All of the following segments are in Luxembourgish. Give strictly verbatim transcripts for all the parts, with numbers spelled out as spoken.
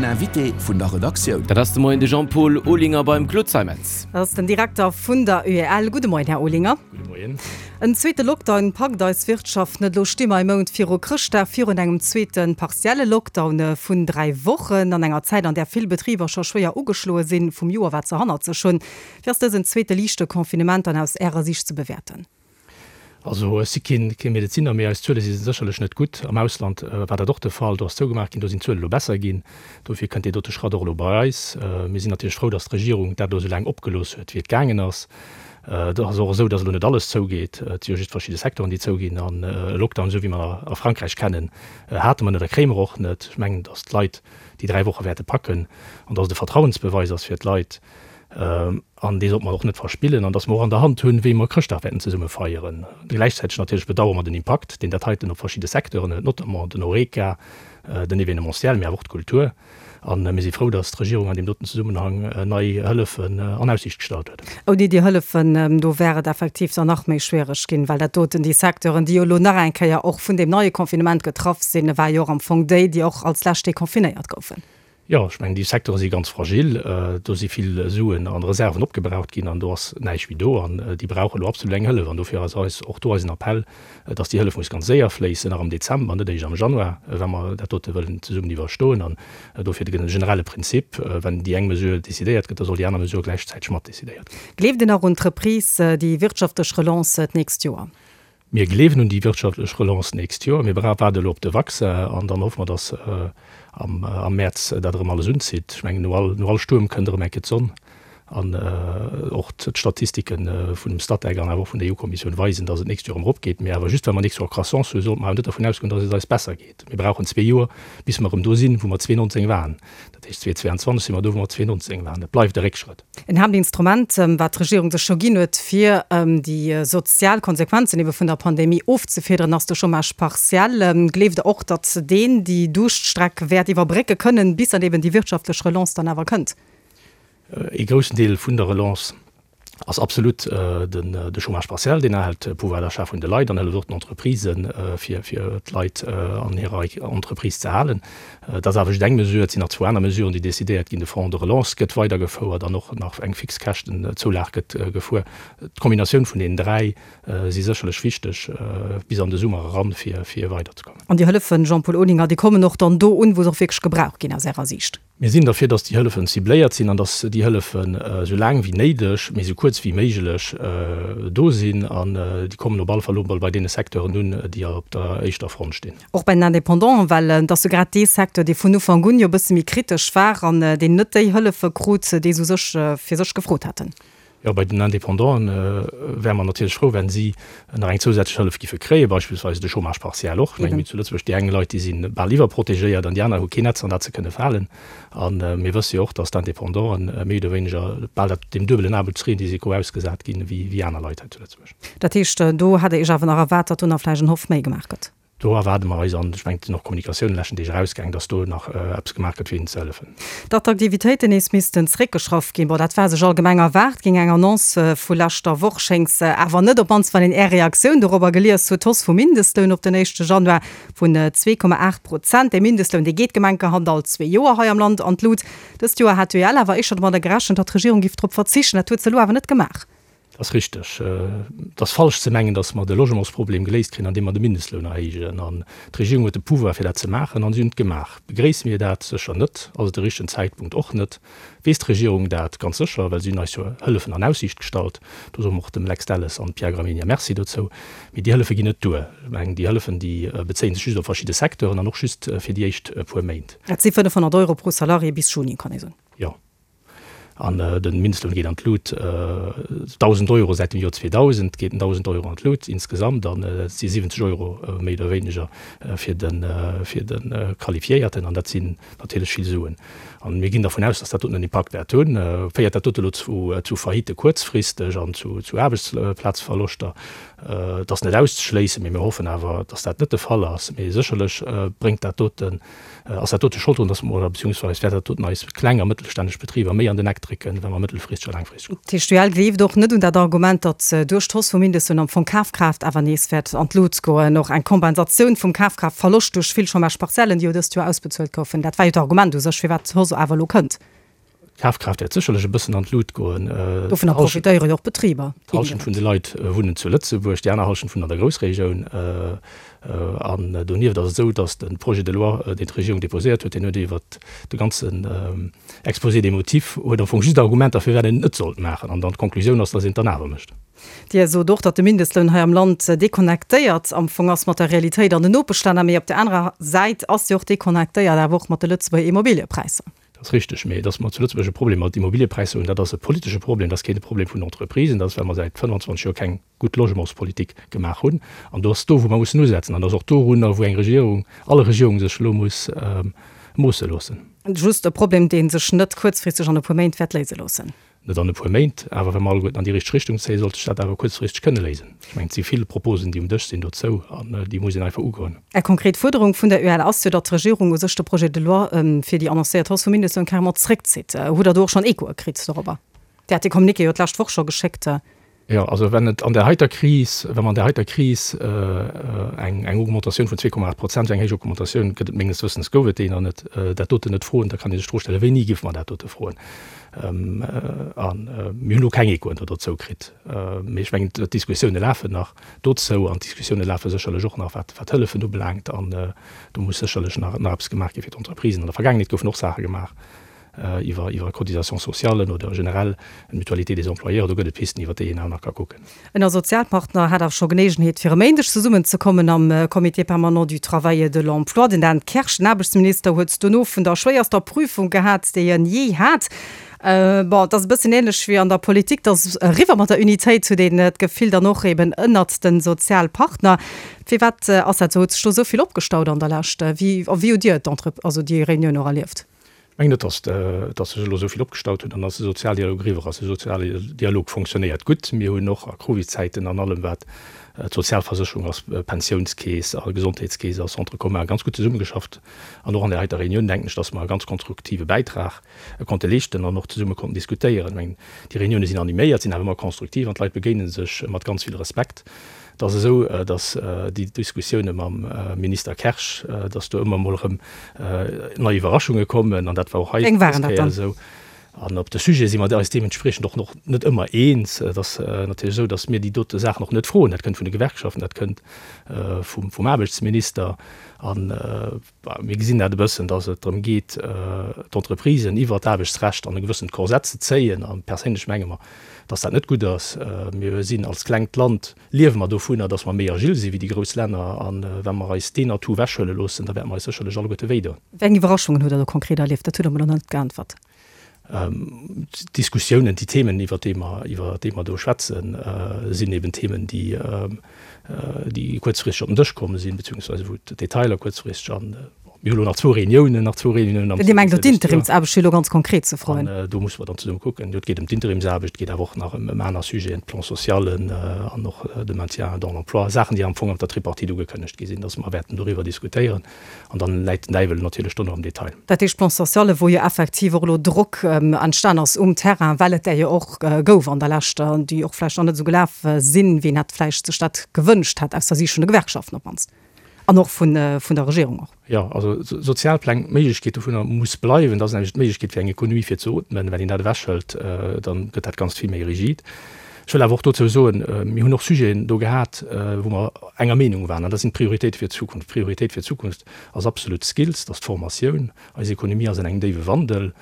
Invité vun der Redaktioun. Dat ass de Moien de Jean-Paul Olinger beim Claude Zeimetz. Dat ass den Direkter vun der UEL. Gudde Moien, Här Olinger. Gudde Moien. En zweete Lockdown packt eis Wirtschaft net. Elo sti mer e Mount viru Chrëschtdag virun engem zweete partielle Lockdown vun dräi Wochen, an enger Zäit, an där vill Betriber scho schwéier ugeschloe sinn vum Joer, wat se hannert sech hunn. Wéi ass dësen zweete liichte Confinement dann aus Ärer Siicht ze bewäerten? Also ech si keen kee Medezinner, mee eis Zuele si sécherlech net gutt. Am Ausland war dat och de Fall, do ass zougemaach ginn, do sinn d'Zuele elo besser ginn. Dofir kënnt dee dote Schratt och elo bei eis. Mir sinn natierlech frou, datt d'Regierung dat elo esou laang opgelooss huet, wéi et gaangen ass. Et ass och esou, datt elo net alles zougeet. Et si jo just verschidde Secteuren, déi zouginn. An e Lockdown, esou wéi mer a Frankräich kennen, hate mer net a kréie mer och net. Ech mengen, datt d'Leit déi dräi Woche wäerte packen an datt et e Vertrauensbeweis ass fir d'Leit. An dee sollte mer och net verspillen. An datt mer och an der Hand hunn, wéi mer Chrëschtdag wäerten zesumme feieren. Gläichzäiteg natierlech bedauere mer den Impakt, deen dat heiten op verschidde Secteuren huet, notamment den Horeca, den Événementiel, mee awer och d'Kultur. A mir si frou, datt d'Regierung an deem doten Zesummenhang nei Hëllefen an Aussiicht gestallt huet. Ouni déi Hëllefen, do wär et effektiv dann nach méi schwiereg ginn, well dat doten, déi Secteuren, déi jo elo nach eng Kéier och vun deem neie Confinement getraff sinn, war jo och am Fong déi, déi och als lescht deconfinéiert goufen. Jo, ech mengen, déi Secteure si ganz fragil. Do si vill Suen an Reserven opgebraucht ginn an do ass näischt méi do. An déi brauche elo absolut eng Hëllef. An dofir ass eis och do eisen Appell, dass déi Hëllef muss ganz séier fléissen, nach am Dezember, net eréischt am Januar, wa mer dat dote wëllen zesummen iwwerstoen. An dofir de generelle Prinzip, Wenn déi eng Mesure decidéiert gëtt, da soll déi aner Mesure gläichzäiteg mat decidéiert ginn. Gleeft Dir nach un d'Reprise, déi wirtschaftlech Relance d'nächst Joer? Mir gleewen un déi wirtschaftlech Relance d'nächst Joer. Mir waarde elo op de Vaccin an dann hoffe mer, dass am Mäerz dat erëm alles unzitt. Ech mengen, no all, no all Stuerm kënnt erëm eng Kéier d'Sonn. An och d'Statistike vun dem Statec an awer och vun der EU-Kommissioun weisen, dass et d'nächst Joer erëm eropgeet. Mee awer just well mer d'nächst Joer Croissance hunn, sollte mer awer net dervun ausgoen, dass et eis besser geet. Mir brauchen zwee Joer, bis mer erëm do sinn, wou mer zweeënneunzeg waren. Dat heescht, zweetausendzweianzwanzeg si mer do, wou mer zweeënneunzeg waren. Et bleift e Réckschrëtt. En Haaptinstrument, wat d'Regierung sech scho ginn huet, fir déi sozial Konsequenzen ebe vun der Pandemie ofzefiederen, ass de Chômage partiel. Gleeft Der och, datt deen déi Duuschtstreck wäert iwwerbrécke kënnen, bis dann eben déi wirtschaftlech Relance dann awer kënnt? Ee groussen Deel vun der Relance ass absolut de Chômage partiel. Deen erhält de Pouvoir d'achat vun de Leit an hëlleft och den Entreprisen, fir d'Leit an hirer Entreprise ze halen. Dat ass awer just eng Mesure. Et sinn nach zwou aner Mesuren, déi decidéiert ginn. De Fonds de relance gëtt weidergefouert an och nach eng Fixkäschtenzoulage gëtt gefuer. D'Kombinatioun vun deenen dräi si sécherlech wichteg bis an de Summer eran, fir weiderzekommen. An déi Hëllefen, Jean-Paul Olinger, déi kommen och dann do un, wou se och wierklech gebraucht ginn aus Ärer Siicht? Mir sinn derfir, dass déi Hëllefen cibléiert sinn an dass déi Hëllefen esou laang wéi néideg, mee esou kuerz wéi méiglech do sinn. An déi kommen op alle Fall elo emol bei deene Secteuren un, déi op der éischter Front stinn. Och bei den Indépendanten, well et ass jo grad dee Secteur, dee vun Ufank un jo e bësse méi kritesch war an deen net déi Hëllefe krut, déi se u sech fir sech gefrot haten. Jo, bei den Indépendanten wäre mer natierlech frou, wenn si nach eng zousätzlech Hëllef giffe kréien, beispillsweis de Chômage partiel och. Ech mengen, mir hunn zu Lëtzebuerg déi eng Leit, déi si bal iwwerprotegéiert an déi aner hu keen Netz, an dat se kënne falen. A mir wësse jo och, dass d'Indépendanten méi oder wéineger bal dat deem duebelen Aarbechtsrisiko ausgesat ginn, wéi aner Leit hei zu Lëtzebuerg. Dat heescht, do hätt Der Iech awer nach erwaart, datt do nach vläicht en Hoff méi gemaach gëtt? Do erwaarde mer eis, an ech mengen, et sinn och Kommunikatiounen leschten Deeg erausgaangen, dass do nach eppes gemaach gëtt, fir hinnen ze hëllefen. Datt d'Aktivitéiten nees missten zeréckgeschrafft ginn, bon, dat war sech allgemeng erwaart ginn. Eng Annonce vu leschter Woch schéngt se awer net, op d'mannst wann een Är Reaktioun dorobber gelies huet. D'Hausse vum Mindestloun op den éischte Januar vun zwee Komma aacht Prozent. Dee Mindestloun, dee geet gemenkerhand all zwee Joer hei am Land an d'Lut. Dëst Joer hat d'UEL awer éischter domadder gerechent, datt d'Regierung géif drop verzichten. Dat huet se elo awer net gemaach. Dat ass richteg. Et ass falsch ze mengen, datt mer de Logementsproblem geléist kréien, andeem mer de Mindestloun erhéijen. An d'Regierung huet de Pouvoir, fir dat ze maachen, an si hunn et gemaach. Begréisse mir dat? Sécher net. Ass et de richtegen Zäitpunkt? Och net. Weess d'Regierung dat? Ganz sécher, well si hunn eis jo Hëllefen an Aussiicht gestallt. Do soe mer och dem Lex Delles an Pierre Gramegna Merci dozou. Mee déi Hëllefe ginn net duer. Ech mengen, déi Hëllefen, déi bezéie sech just op verschidde Secteuren an och just fir déi éischt puer Méint. Dat si fënnefhonnert Euro pro Salarié bis Juni, kann ee soen. Jo. An de Mindestloun geet an d'Lut, dausend Euro säit dem Joer zweedausend geet en dausend Euro an d'Lut insgesamt, an et si siwwenzeg Euro méi oder wéineger fir de fir de Qualifiéierten, an dat sinn natierlech vill Suen. An mir ginn dervun aus, datt dat doten en Impakt wäert hunn. Féiert dat dote elo zu zu Faillite kuerzfristeg an zu zu Aarbechtsplazverloschter? Et ass net auszeschléissen, mee mir hoffen awer, datt dat net de Fall ass. Mee sécherlech bréngt dat doten, ass dat dote Schold drun, datt mer, oder beziehungsweise wäert dat doten eis kleng a mëttelstänneg Betriber méi an den Eck erofdrécken, wa mer mëttelfristeg a laangfristeg kucken. D'TGL gleeft och net un dat Argument, datt duerch d'Hausse vum Mindestloun am Fong d'Kafkraaft awer nees wäert an d'Lut goen. Och eng Kompensatioun vum Kafkraaftverloscht duerch vill Chômage-partiellen, déi jo dëst Joer ausbezuelt goufen, dat war jo d'Argument u sech, firwat d'Hausse awer elo kënnt. D'Kafkraaft wäert sécherlech e bëssen an d'Lut goen. Dovunner profitéiere jo och d'Betriber. D'Hallschent vun de Leit wunnen zu Lëtzebuerg, déi aner Hallschent wunnen an der Groussregioun. An donieft ass et esou, datt de Projet de loi, deen d'Regierung déposéiert huet, deen huet iwwert de ganzen Exposé des motifs, huet am Fong just Argumenter, firwat een et net sollt maachen. An dann d'Konklusioun ass, datt een et dann awer mécht. Dir sot och, datt de Mindestloun hei am Land deconnectéiert am Fong ass mat der Realitéit an den Nopeschlänner. Mee op där anerer Säit ass se och deconnectéiert awer och mat de Lëtzebuerger Immobiliëpräisser. Dat ass richteg. Mee datt mer zu Lëtzebuerg e Problem mat Immobiliëpräisser hunn, dat ass e politesche Problem, dat ass keen Problem vun Entreprisen. Dat ass, well mer säit fënnwanzwanzeg Joer keng gutt Logementspolitik gemaach hunn. An do ass do, wou mer mussen usetzen. An dat ass och dorunner, wou eng Regierung, all Regierung sech elo muss moosse loossen. Just e Problem, dee sech net kuerzfristeg an e puer Méint wäert léise loossen. Net an e puer Méint, awer wa mer alleguerten an déi richteg Richtung zéien, sollt sech dat awer kuerzfristeg kënne léisen. Ech mengen, et si vill Proposen, déi um Dësch sinn dozou, an déi muss een einfach ugoen. Eng konkret Fuerderung vun der UEL ass jo, datt d'Regierung u sech de Projet de loi fir déi annoncéiert Hausse vum Mindestloun carrément zréckzitt. Hutt Der do och schonn Echoe kritt dorobber? Dir hat dee Communiqué jo d'lescht Woch scho geschéckt. Jo, also wenn et an där heiter Kris, wa mer an där heiter Kris eng eng Augmentatioun vun zwee Komma aacht Prozent, eng héich Augmentatioun gëtt et menges Wëssens, gouf et déi nach net, dat doten net froen, da kann ee sech d'Fro stellen, wéini géife mer dat dote froen? A mir hunn elo keng Echoen do dozou kritt. Mee ech mengen, d'Diskussioune lafen nach dozou an d'Diskussioune lafe sécherlech och nach, wat wat d'Hëllefen ubelaangt. An do muss sécherlech nach nach eppes gemaach gi fir d'Entreprisen. An der Vergaangenheet goufen och Saache gemaach. iwwer iwwer Cotisations sociales oder generell d'Mutualité des employeurs, do gëtt et Pisten, iwwer déi een awer nach ka kucken. Ënner Sozialpartner hat awer scho Geleegenheet fir e Méindeg zesummen ze kommen am Comité permanent du travail et de l'emploi. Den Dan Kersch, den Aarbechtsminister, huet dono vun der schwéierster Prüfung gehat, déi en jee hat. Bon, et ass e bëssen ähnlech wéi an der Politik, et ass eriwwer mat der Unitéit, huet een d'Gefill dann och eben ënnert de Sozialpartner. Firwat ass dat esou? Huet sech do esou vill opgestaut an der Lescht? Wéi wéi hutt Dir d'Entre-, also déi Reunioun och erlieft? Ech mengen net, datt datt sech elo esou vill opgestaut huet an datt de Sozialdialog eriwwer ass. De Sozialdialog fonctionnéiert gutt. Mir hunn och a Covidzäiten an allem, wat d'Sozialversécherung ass, Pensiounskeess a Gesondheetskeess a Centre commun, ganz gutt zesummegeschafft. An och an där heiter Reunioun denken ech, datt mer e ganz konstruktive Bäitrag konnte leeschten an och zesumme konnten diskutéieren. Ech mengen, déi Reunioune sinn animéiert, sinn awer ëmmer konstruktiv an d'Leit begéine sech mat ganz vill Respekt. Et ass esou, datt déi Diskussioune mam Minister Kersch, datt do ëmmer emol erëm nei Iwwerraschunge kommen, an dat war och hei dës Kéier esou. An op de Sujete si mer eis deementspriechend och och net ëmmer eens. Et ass natierlech esou, datt mir déi dote Saachen och net froen. Dat kënnt vun de Gewerkschaften, dat kënnt vum Aarbechtsminister. A mir gesinn dat e bëssen, datt et drëm geet, d'Entreprisen iwwert d'Aarbechtsrecht an e gewëssent Korsett ze zéien. A perséinlech menge mer, datt dat net gutt ass. Mir sinn als klengt Land, liewe mer dovunner, datt mer méi agil si wéi déi grouss Länner. A wa mer eis deen Atout ewechhuele loossen, da wäerte mer eis sécherlech alleguerte wéidoen. Wéi eng Iwwerraschungen hutt Der do konkret erlieft? Dat hutt Der mer elo nach net geäntwert. D'Diskussiounen, déi Themen, iwwer déi mer, iwwer déi mer do schwätzen, sinn eben Themen, déi, déi kuerzfristeg op den Dësch komm sinn, beziehungsweise wou d'Detailer kuerzfristeg an, bon, mir hu lo nach zwou Reuniounen, nach zwou Reuniounen am Dir mengt elo d'Interimsaarbecht, fir elo ganz konkret ze froen? An do musse mer dann zesumme kucken. Jo, et geet ëm d'Interimsaarbecht, et geet awer och nach ëm aner Sujeten, d'Plan socialen an och de Maintien dans l'emploi, Saachen, déi am Fong op der Tripartite ugekënnegt gi sinn, dass mer wäerten doriwwer diskutéieren. An dann läit den Däiwel natierlech do nach am Detail. Dat heescht, Plan sociale, wou jo effektiv och elo Drock entstan ass um Terrain, well et där jo och gouf an der Lescht, déi och vläicht nach net esou gelaf sinn, wéi een hätt vläicht sech dat gewënscht hätt, aus der Siicht vun de Gewerkschaften op d'mannst an och vun der Regierung och. Jo, also Sozialpläng, d'Méiglechkeet dovunner muss bleiwen. Dat ass nämlech d'Méiglechkeet fir eng Ekonomie fir ze ootmen. Wenn een dat ewechhëlt, da gëtt dat Ganzt vill méi rigid. Ech wëll awer och dozou soen, mir hunn och Sujeten do gehat, wou mer enger Meenung waren, an dat sinn d'Prioritéite fir d'Zukunft. D'Prioritéit fir d'Zukunft ass absolut d'Skills, dat ass d'Formatioun. Eis Ekonomie ass an engem déiwe Wandel.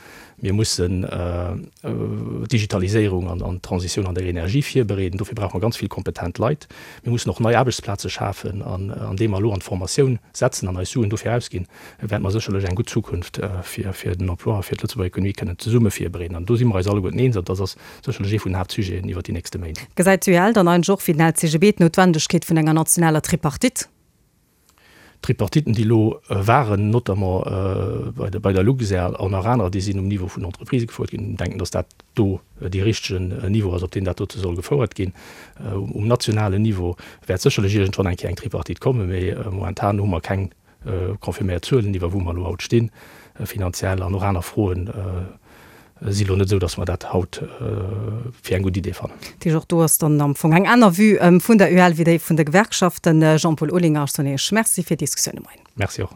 Mir mussen d'Digitaliséierung an d'Transitioun an der Energie virbereeden. Dofir brauche mer ganz vill kompetent Leit. Mir mussen och nei Aarbechtsplaze schafen. An andeem mer elo an d'Formatioun setzen an eis Suen dofir ausginn, wäerte mer sécherlech eng gutt Zukunft fir den Emploi a fir d'Lëtzebuerger Ekonomie kënnen zesumme virbereeden. An do si mer eis alleguerten eens. An dat ass sécherlech ee vun den Haaptsujeten iwwert déi nächste Méint. Gesäit d'UEL dann eigentlech och wéi den L C G B d'Noutwendegkeet vun enger nationaler Tripartite? D'Tripartiten, déi elo waren, notamment bei der Luxair an nach anerer, déi sinn um Niveau vun den Entreprisë gefouert ginn. Ech denken, datt dat do dee richtegen Niveau ass, op deem dat dote soll gefouert ginn. Um nationalen Niveau wäert sécherlech iergendwann eng Kéier eng Tripartite kommen, mee momentan hu mer keng confirméiert Zuelen, iwwer wou mer elo haut stinn, finanziell an och aner Froen si elo net esou, datt mer dat haut fir eng gutt Idee fannen. Dat heescht, och do ass dann am Fong eng aner Vue vun der UEL wéi déi vun de Gewerkschaften. Jean-Paul Olinger, ech soen Iech Merci fir d'Diskussioun de Moien. Merci och.